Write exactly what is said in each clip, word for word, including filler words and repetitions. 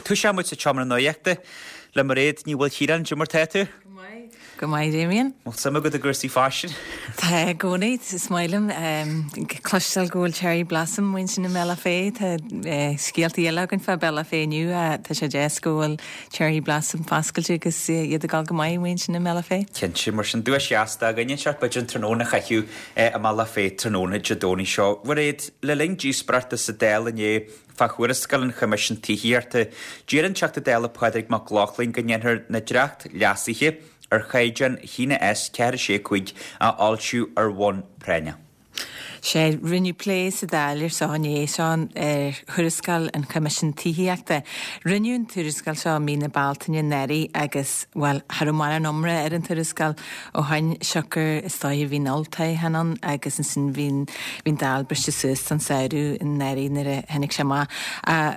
Toiseoidh muid sa tseomra nuachta le Mairéad Ní Mhaoilchiaráin. Cad é mar tá tú? Go maith, Damien. Bhfuil suim agat i gcúrsaí faisin? Tá i gcónaí, is maith liom cloisteáil go bhfuil Cherry Blossom ansin i mBealach Féich. Tá scéalta eile againn fá Bealach Féich inniu. Tá sé deas go bhfuil Cherry Blossom foscailte agus iad ag dul go maith ansin i mBealach Féich. Cinnte, mar sin duais dheas againn anseo b'fhéidir an tráthnóna a chaitheamh i mBealach Féich tráthnóna Dé Domhnaigh seo. Mairéad, le linn díospóireachta sa Dáil inné fá thuarascáil an Choimisiúin Tithíochta, d'iarr an Teachta Dála Pádraig Mac Lochlainn go ndéanfar na dréacht-leasuithe ar chaighdeán a haon S ceathair sé cúig a fhoilsiú ar bhonn práinneach. Sé rinneadh plé sa Dáil ar seo inné seo ar thuarascáil an Choimisiúin Tithíochta. Rinneadh an tuarascáil seo mí na Bealtaine anuraidh agus well cha raibh mórán iomrá ar an tuarascáil ó shin siocair is dóigh bhí an olltoghchán ann agus ansin bhí bhí an Dáil briste suas don samhradh anuraidh nuair a tháinig sé amach.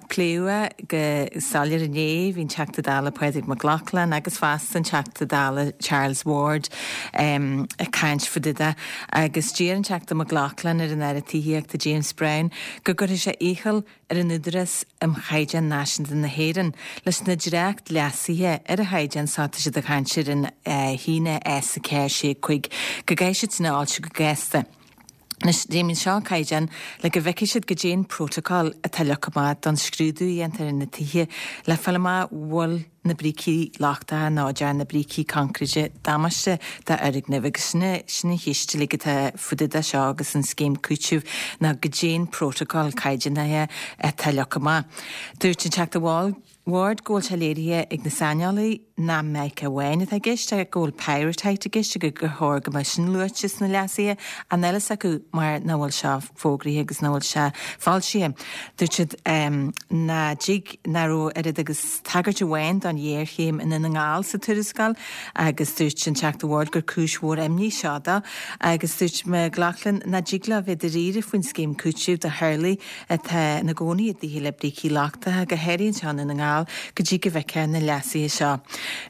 Pléadh go soiléir inné bhí an Teachta Dála Pádraig Mac Lochlainn agus fosta an Teachta Dála Charles Ward um, ag caint faoi de agus d'iarr an Teachta Mac Lochlainn ar an Aire Tithíochta James Browne go gcuirfidh sé iachall ar an Údarás um Chaighdeán Náisiúnta na hÉireann leis na dréacht leasuithe ar an chaighdeán seo tá siad ag caint ar an haon S a ceathair sé cúig go gcaithfidh siad sin a fhoilsiú go gasta. Anois Damien seo an caighdeán le go bhfeicfidh siad goidé an protocol atá leagtha amach don scrúdú a dhéantar ar na tithe le fáil amach bhfuil na brící lochtacha nó dearna na brící concrete damáiste d'fhoirgnimh agus sin sin an cheist uilig atá faoi de seo agus an scéim cúitimh ná goidé an protocol caighdeánaithe atá leagtha amach. Dúirt an Teachta Wall Ward go bhfuil sé léirithe ag na saineolaithe nach mica amháin atá i gceist go bhfuil pyrrhotite i gceist agus gur chóir go mbeadh sin luaite sna leasuithe an eile acu mar nach bhfuil sé fógraithe agus nach bhfuil sé foilsithe. Dúirt siad um, ná dig ná raibh oiread agus tagairt amháin don ghéarchéim i nDún na nGall sa tuarascáil agus dúirt an Teachta Ward gur cúis mhór imní seo dó agus dúirt Mac Lochlainn nach dtig leo bheith dáiríre faoin scéim cúitimh do theaghlaigh atá ina gcónaí i dtithe le brící lochtacha go háirithe anseo i nDún na nGall go dtí go bhfeicfear na leasuithe seo.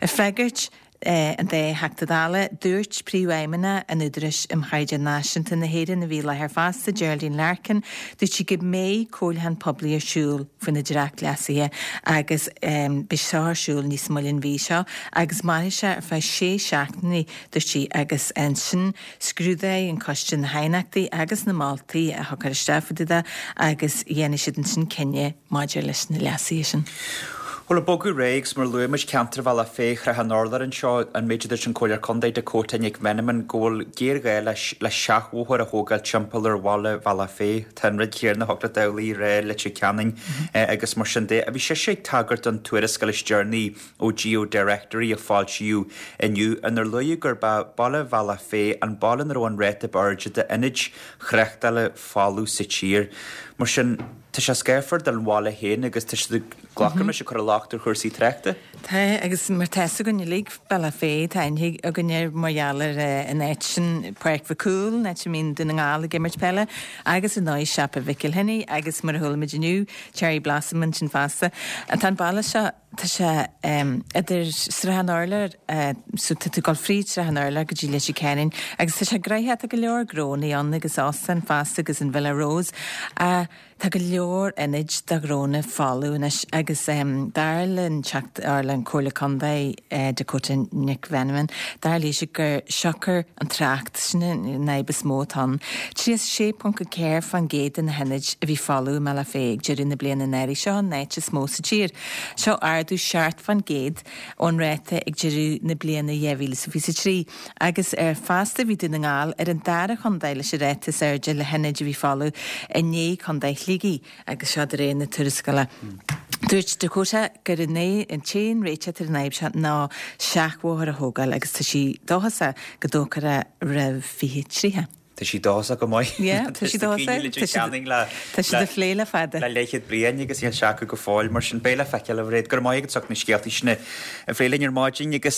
Ag freagairt eh, an dá Theachta Dála dúirt príomhfheidhmeannach an Údaráis um Chaighdeán Náisiúnta na hÉireann a bhí láthair fosta Geraldine Larkin, dúirt sí go mbeidh comhairliúchán poiblí ar siúl faoi na dréacht leasuithe agus um, beidh seo ar siúl níos moille an mhí seo agus mairfidh sé ar feadh sé seachtainí dúirt sí agus ansin scrúdóidh an coiste na haighneachtaí agus na moltaí a thugtar isteach faoi de agus dhéanfaidh siad ansin cinneadh maidir leis na leasuithe sin. Bhuel ag bogadh ar aghaidh mar luaigh muid ceantar Bhealach Féich Shrath an Urláir anseo an méid a dúirt an Comhairleoir Contae Dakota Nic Mheanman go bhfuil géarghá leis le seachbhóthar a thógáil timpeall ar bhaile Bhealach Féich. Tá an rud céanna thug le Damhlaí ré Leitir Ceanainn agus mar sin de. A bhí sé ag tagairt don tuarascáil is deireanaí ó GeoDirectory a foilsíodh inniu inar luadh gurb é baile Bhealach Féich an baile ina raibh an ráta ab airde d'ionaid thráchtála folamh sa tír. Mar sin tá sé scáfar don bhaile féin agus tá sé glacadh leis cur locht ar chúrsaí tráchta. Tá agus mar tá againn uilig Bealach Féich tá againn ar mar gheall ar an áit sin Páirc Mhic Cumhaill áit a mbíonn Dún na nGall ag imirt peile agus an náid siopa Mhichíl Henny agus mar a chuala muid inniu Cherry Blossom ansin fosta. An tá an baile seo tá sé um, idir Srath an Urláir uh, so tá tú ag dul fríd Srath an Urláir go dtí Leitir Ceanainn agus tá sé gnoitheach go leor gnónna ann agus óstán fosta agus an Villa Rose. Uh, Tá go leor ionaid do ghnónna folamh anois agus um, dar le teacht ar le an Comhairle Contae uh, Dakota Nic Mheanman, dar léi gur siocair an trácht sin an fhadhb is mó atá. Trí sé ponc ceathair faoin gcéad de na hionaid a bhí folamh i mBealach Féich deireadh na bliana anuraidh seo an áit is mó sa tír. Seo ardú seacht faoin gcéad ón ráta ag deireadh na bliana dhá mhíle fiche trí, agus ar fosta bhí Dún na nGall ar an dara contae leis an ráta is airde le hionaid a bhí folamh i ndiaidh contae Shligigh agus seo de réir na tuarascála. Dúirt Dakota gur an é an t-aon réiteach ar an fhadhb seo ná seachbhóthar a thógáil agus tá sí dóchasach go dtógfar é roimh fiche tríocha. Tá sí dóchasach go maith. Tá sí Tá sí ag plé le fada. Le leathchéad bliain agus níl sé acu go fóill mar sin beidh le feiceáil a Mhairéad go maith agus na scéaltaí sin a phlé linn ar maidin agus